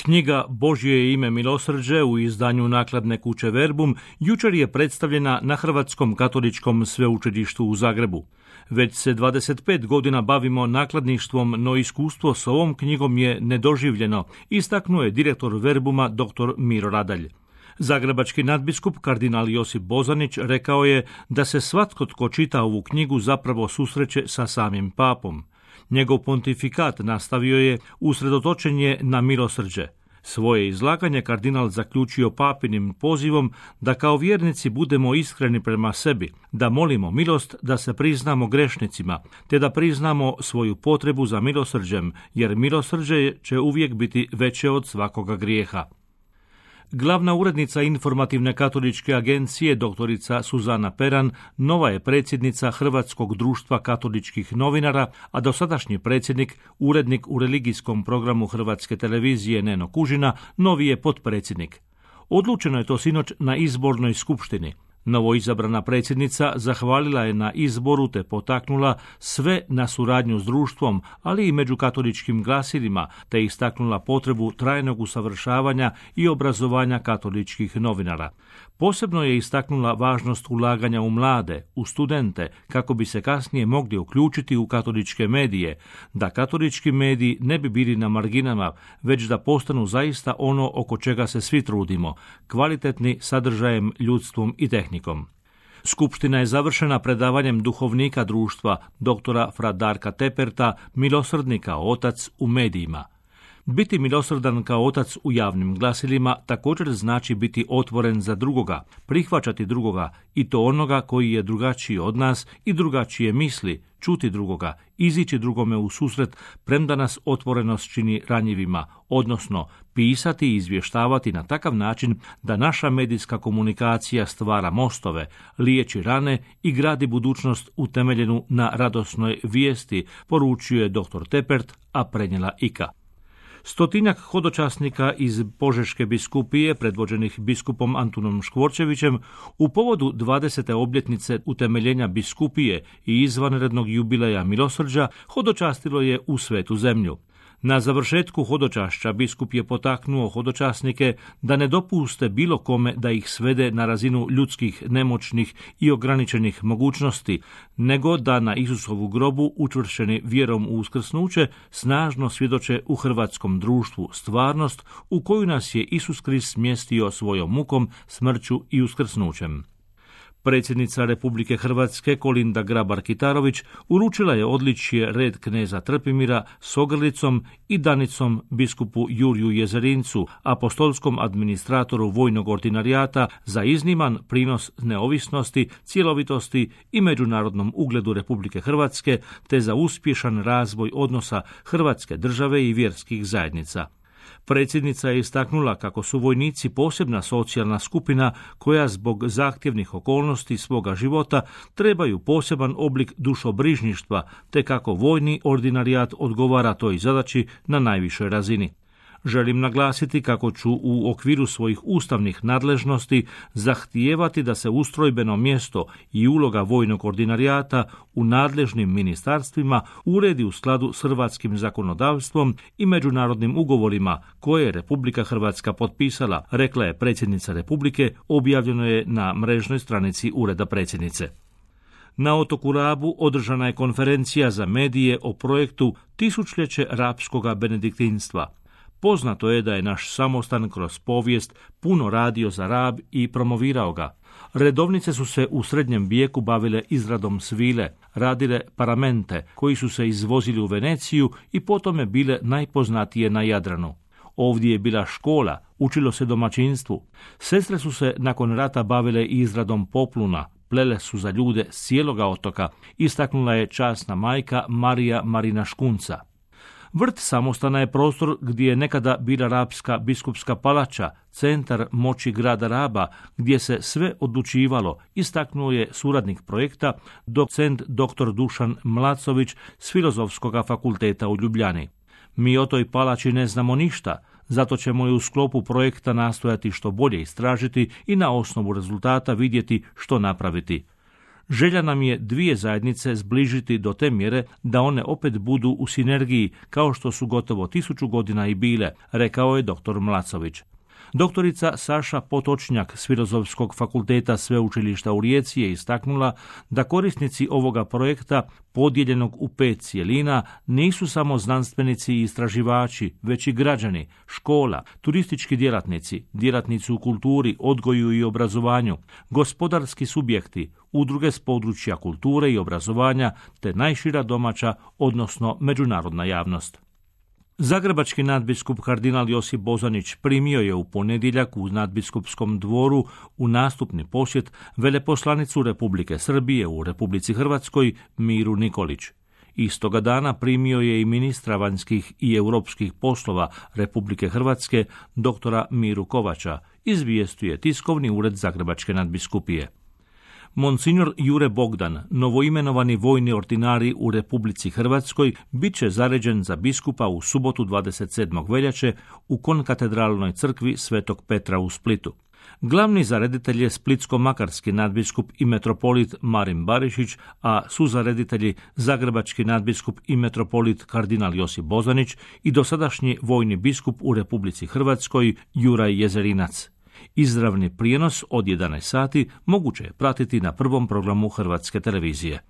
Knjiga Božje je ime milosrđe u izdanju nakladne kuće Verbum jučer je predstavljena na Hrvatskom katoličkom sveučilištu u Zagrebu. Već se 25 godina bavimo nakladništvom, no iskustvo s ovom knjigom je nedoživljeno, istaknuo je direktor Verbuma dr. Miro Radalj. Zagrebački nadbiskup kardinal Josip Bozanić rekao je da se svatko tko čita ovu knjigu zapravo susreće sa samim papom. Njegov pontifikat nastavio je usredotočenje na milosrđe. Svoje izlaganje kardinal zaključio papinim pozivom da kao vjernici budemo iskreni prema sebi, da molimo milost, da se priznamo grešnicima, te da priznamo svoju potrebu za milosrđem, jer milosrđe će uvijek biti veće od svakoga grijeha. Glavna urednica informativne katoličke agencije, doktorica Suzana Peran, nova je predsjednica Hrvatskog društva katoličkih novinara, a dosadašnji predsjednik, urednik u religijskom programu Hrvatske televizije Neno Kužina, novi je potpredsjednik. Odlučeno je to sinoć na izbornoj skupštini. Novoizabrana predsjednica zahvalila je na izboru te potaknula sve na suradnju s društvom, ali i među katoličkim glasilima, te istaknula potrebu trajnog usavršavanja i obrazovanja katoličkih novinara. Posebno je istaknula važnost ulaganja u mlade, u studente, kako bi se kasnije mogli uključiti u katoličke medije, da katolički mediji ne bi bili na marginama, već da postanu zaista ono oko čega se svi trudimo, kvalitetni sadržajem, ljudstvom i tehnikom. Skupština je završena predavanjem duhovnika društva, doktora fra Darka Teperta, milosrdni kao otac u medijima. Biti milosrdan kao otac u javnim glasilima također znači biti otvoren za drugoga, prihvaćati drugoga, i to onoga koji je drugačiji od nas i drugačije misli, čuti drugoga, izići drugome u susret, premda nas otvorenost čini ranjivima, odnosno pisati i izvještavati na takav način da naša medijska komunikacija stvara mostove, liječi rane i gradi budućnost utemeljenu na radosnoj vijesti, poručio je dr. Tepert, a prenijela Ika. 100-tinjak hodočasnika iz Požeške biskupije, predvođenih biskupom Antunom Škvorčevićem, u povodu 20. obljetnice utemeljenja biskupije i izvanrednog jubileja milosrđa, hodočastilo je u Svetu zemlju. Na završetku hodočašća biskup je potaknuo hodočasnike da ne dopuste bilo kome da ih svede na razinu ljudskih, nemoćnih i ograničenih mogućnosti, nego da na Isusovu grobu, učvršćeni vjerom u uskrsnuće, snažno svjedoče u hrvatskom društvu stvarnost u koju nas je Isus Krist smjestio svojom mukom, smrću i uskrsnućem. Predsjednica Republike Hrvatske Kolinda Grabar-Kitarović uručila je odličje Red kneza Trpimira s ogrlicom i danicom biskupu Juriju Jezerincu, apostolskom administratoru vojnog ordinarijata, za izniman prinos neovisnosti, cjelovitosti i međunarodnom ugledu Republike Hrvatske, te za uspješan razvoj odnosa Hrvatske države i vjerskih zajednica. Predsjednica je istaknula kako su vojnici posebna socijalna skupina koja zbog zahtjevnih okolnosti svoga života trebaju poseban oblik dušobrižništva, te kako vojni ordinarijat odgovara toj zadaći na najvišoj razini. Želim naglasiti kako ću u okviru svojih ustavnih nadležnosti zahtijevati da se ustrojbeno mjesto i uloga vojnog ordinarijata u nadležnim ministarstvima uredi u skladu s hrvatskim zakonodavstvom i međunarodnim ugovorima koje je Republika Hrvatska potpisala, rekla je predsjednica Republike, objavljeno je na mrežnoj stranici Ureda predsjednice. Na otoku Rabu održana je konferencija za medije o projektu Tisućljeće rapskoga benediktinstva. Poznato je da je naš samostan kroz povijest puno radio za Rab i promovirao ga. Redovnice su se u srednjem vijeku bavile izradom svile, radile paramente koji su se izvozili u Veneciju i potome bile najpoznatije na Jadranu. Ovdje je bila škola, učilo se domaćinstvu. Sestre su se nakon rata bavile izradom popluna, plele su za ljude s cijeloga otoka, istaknula je časna majka Marija Marina Škunca. Vrt samostana je prostor gdje je nekada bila Rapska biskupska palača, centar moći grada Raba, gdje se sve odlučivalo, istaknuo je suradnik projekta, docent dr. Dušan Mlacović s Filozofskog fakulteta u Ljubljani. Mi o toj palači ne znamo ništa, zato ćemo je u sklopu projekta nastojati što bolje istražiti i na osnovu rezultata vidjeti što napraviti. Želja nam je dvije zajednice zbližiti do te mjere da one opet budu u sinergiji kao što su gotovo 1000 godina i bile, rekao je dr. Mlacović. Doktorica Saša Potočnjak s Filozofskog fakulteta Sveučilišta u Rijeci je istaknula da korisnici ovoga projekta, podijeljenog u 5 cjelina, nisu samo znanstvenici i istraživači, već i građani, škola, turistički djelatnici, djelatnici u kulturi, odgoju i obrazovanju, gospodarski subjekti, udruge s područja kulture i obrazovanja, te najšira domaća, odnosno međunarodna javnost. Zagrebački nadbiskup kardinal Josip Bozanić primio je u ponedjeljak u nadbiskupskom dvoru u nastupni posjet veleposlanicu Republike Srbije u Republici Hrvatskoj Miru Nikolić. Istoga dana primio je i ministra vanjskih i europskih poslova Republike Hrvatske doktora Miru Kovača, izvijestuje tiskovni ured Zagrebačke nadbiskupije. Monsignor Jure Bogdan, novoimenovani vojni ordinari u Republici Hrvatskoj, bit će zaređen za biskupa u subotu 27. veljače u konkatedralnoj crkvi Svetog Petra u Splitu. Glavni zareditelj je splitsko-makarski nadbiskup i metropolit Marin Barišić, a suzareditelji zagrebački nadbiskup i metropolit kardinal Josip Bozanić i dosadašnji vojni biskup u Republici Hrvatskoj Juraj Jezerinac. Izravni prijenos od 11 sati moguće je pratiti na prvom programu Hrvatske televizije.